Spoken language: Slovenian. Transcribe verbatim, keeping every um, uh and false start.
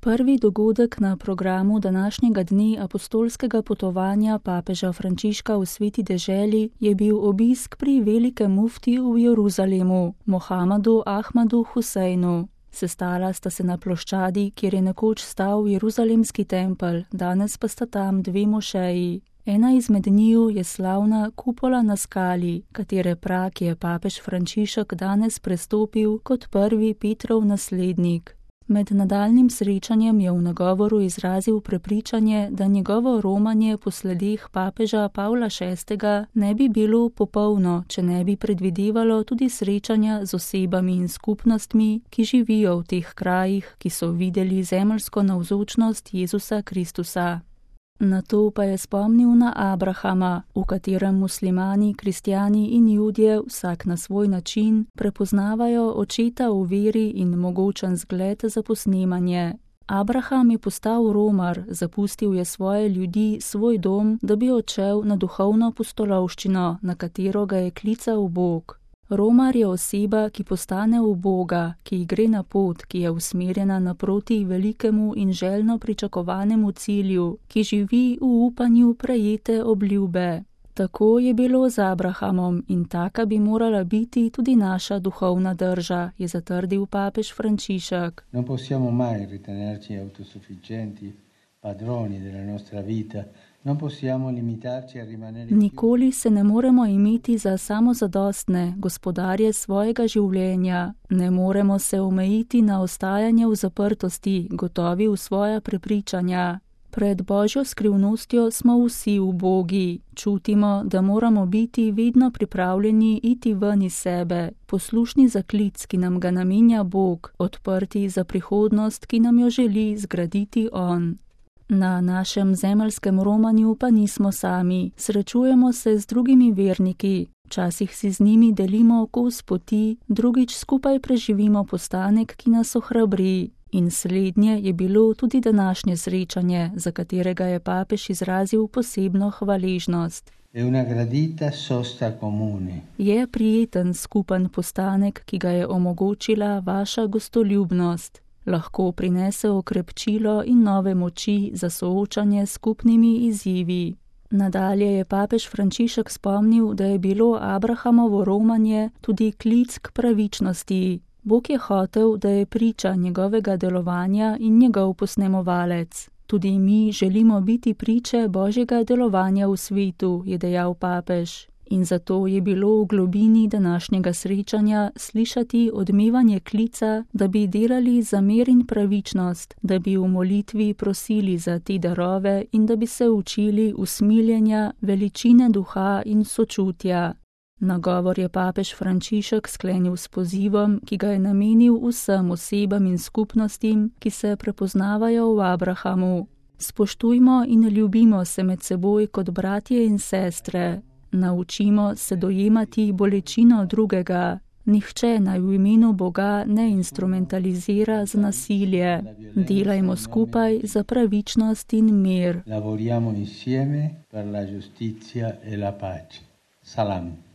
Prvi dogodek na programu današnjega dne apostolskega potovanja papeža Frančiška v Sveti deželi je bil obisk pri velikem muftiju v Jeruzalemu, Mohamadu Ahmadu Huseinu. Sestala sta se na ploščadi, kjer je nekoč stal Jeruzalemski tempelj, danes pa sta tam dve mošeji. Ena izmed njiju je slavna kupola na skali, katere prak je papež Frančišek danes prestopil kot prvi Petrov naslednik. Med nadaljnjim srečanjem je v nagovoru izrazil prepričanje, da njegovo romanje po sledeh papeža Pavla šestega ne bi bilo popolno, če ne bi predvidevalo tudi srečanja z osebami in skupnostmi, ki živijo v teh krajih, ki so videli zemeljsko navzočnost Jezusa Kristusa. Nato pa je spomnil na Abrahama, v katerem muslimani, kristjani in Judje vsak na svoj način prepoznavajo očeta v veri in mogočen zgled za posnemanje. Abraham je postal romar, zapustil je svoje ljudi, svoj dom, da bi odšel na duhovno pustolovščino, na katero ga je klical Bog. Romar je oseba, ki postane v Boga, ki gre na pot, ki je usmerjena naproti velikemu in željno pričakovanemu cilju, ki živi v upanju prejete obljube. Tako je bilo z Abrahamom in taka bi morala biti tudi naša duhovna drža, je zatrdil papež Frančišek. Non possiamo mai ritenerci autosufficienti, padroni della nostra vita. Nikoli se ne moremo imeti za samozadostne gospodarje svojega življenja, ne moremo se omejiti na ostajanje v zaprtosti, gotovi v svoja prepričanja. Pred Božjo skrivnostjo smo vsi ubogi, čutimo, da moramo biti vedno pripravljeni iti ven iz sebe, poslušni za klic, ki nam ga namenja Bog, odprti za prihodnost, ki nam jo želi zgraditi On. Na našem zemeljskem romanju pa nismo sami, srečujemo se z drugimi verniki, včasih si z njimi delimo kos poti, drugič skupaj preživimo postanek, ki nas ohrabri. In slednje je bilo tudi današnje srečanje, za katerega je papež izrazil posebno hvaležnost. Je prijeten skupen postanek, ki ga je omogočila vaša gostoljubnost. Lahko prinese okrepčilo in nove moči za soočanje s skupnimi izzivi. Nadalje je papež Frančišek spomnil, da je bilo Abrahamovo romanje tudi klic k pravičnosti. Bog je hotel, da je priča njegovega delovanja in njegov posnemovalec. Tudi mi želimo biti priče Božjega delovanja v svetu, je dejal papež. In zato je bilo v globini današnjega srečanja slišati odmevanje klica, da bi delali za mir in pravičnost, da bi v molitvi prosili za te darove in da bi se učili usmiljenja, veličine duha in sočutja. Nagovor je papež Frančišek sklenil s pozivom, ki ga je namenil vsem osebam in skupnostim, ki se prepoznavajo v Abrahamu. Spoštujmo in ljubimo se med seboj kot bratje in sestre. Naučimo se dojemati bolečino drugega. Nihče naj v imenu Boga ne instrumentalizira za nasilje. Delajmo skupaj za pravičnost in mir. Lavoriamo insieme per la giustizia e la pace. Salam.